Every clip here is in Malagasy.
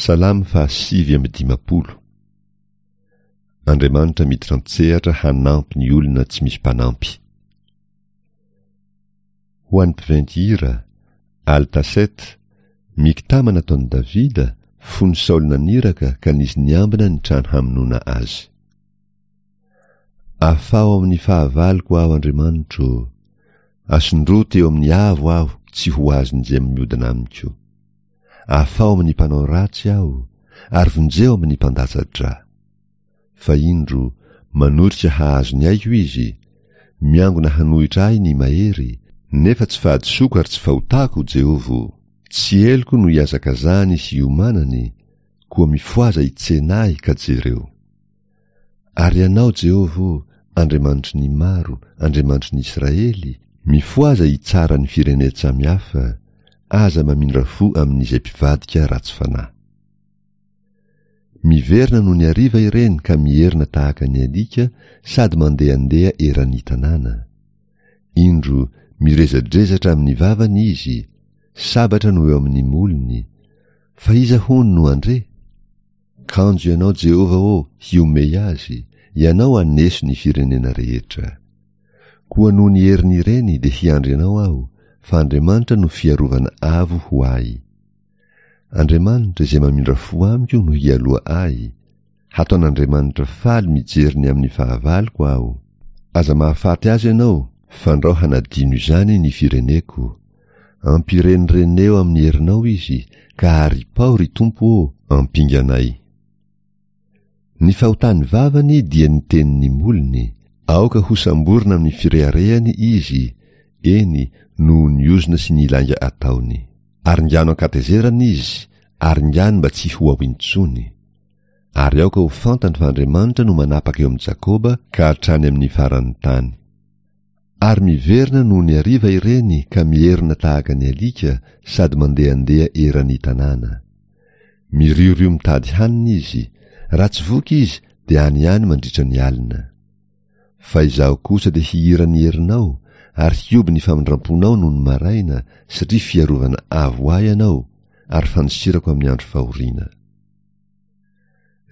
Salamo faha 59. Andriamanitra miditra an-tsehatra hanampy ny olona tsy misy mpanampy. Ho an'ny mpiventy hira, Altaset, Miktama nataon'i Davida, fony Saoly naniraka ka nisy niambina ny trano hamonoana azy. Afaho amin'ny fahavaloko aho Andriamanitro ô! Asondroty eo amin'ny avo aho tsy ho azon'izay miodina amiko. Afaho amin'ny mpanao ratsy aho, ary vonjeo amin'ny mpandatsa-drà. Fa indro, manotrika hahazo ny aiko izy, miangona hanohitra ahy ny mahery, nefa tsy fahadisoako ary tsy fahotako, Jehovah ô! Tsy heloko no ihazakazahany sy iomanany, koa mifohaza hitsena ahy ka jereo. Ary Ianao, Jehovah ô, Andriamanitry ny maro, Andriamanitry ny Israely, mifohaza hitsara ny firenen-tsamihafa, aza mamindra fo amin'izay mpivadika ratsy fanahy. Miverina nony hariva ireny ka mierona tahaka ny alika sady mandehandeha eran'ny tanàna. Indro, mirezadrezatra amin'ny vavany izy, sabatra no eo amin'ny molony, fa iza hono no handre? Kanjo Ianao Jehovah ô, hihomehy azy, Ianao haneso ny firenena rehetra. Koa noho ny herin'ireny dia hiandry Anao aho, fa Andriamanitra no fiarovana avo ho ahy. Andriamanitra izay mamindra fo amiko no hialoha ahy, hataon'Andriamanitra faly mijery ny amin'ny fahavaloko aho. Aza mahafaty azy Ianao, fandrao hanadino izany ny fireneko. Ampirenireneo amin'ny herinao izy, ka aripaho, ry Tompo ô, ampinganay. Ny fahotan'ny vavany dia ny tenin'ny molony, aoka hosamborina amin'ny fireharehany izy, eny, noho ny ozona sy ny lainga ataony. Aringano an-katezerana izy, aringano mba tsy ho ao intsony. Ary aoka ho fantany fa Andriamanitra no manapaka eo amin'i Jakoba ka hatrany amin'ny faran'ny tany. Ary miverina nony hariva ireny ka mierona tahaka ny alika sady mandehandeha eran'ny tanàna. Miriorio mitady hanina izy, raha tsy voky izy dia any ihany mandritra ny alina. Fa izaho kosa dia hihira ny herinao ary hioby ny famindramponao nony maraina satria fiarovana avo ahy ianao ary fandosirako amin'ny andro fahoriana.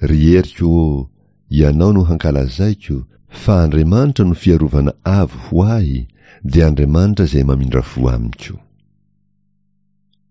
Ry heriko ô, Ianao no hankalazaiko, fa Andriamanitra no fiarovana avo ho ahy, dia Andriamanitra izay mamindra fo amiko.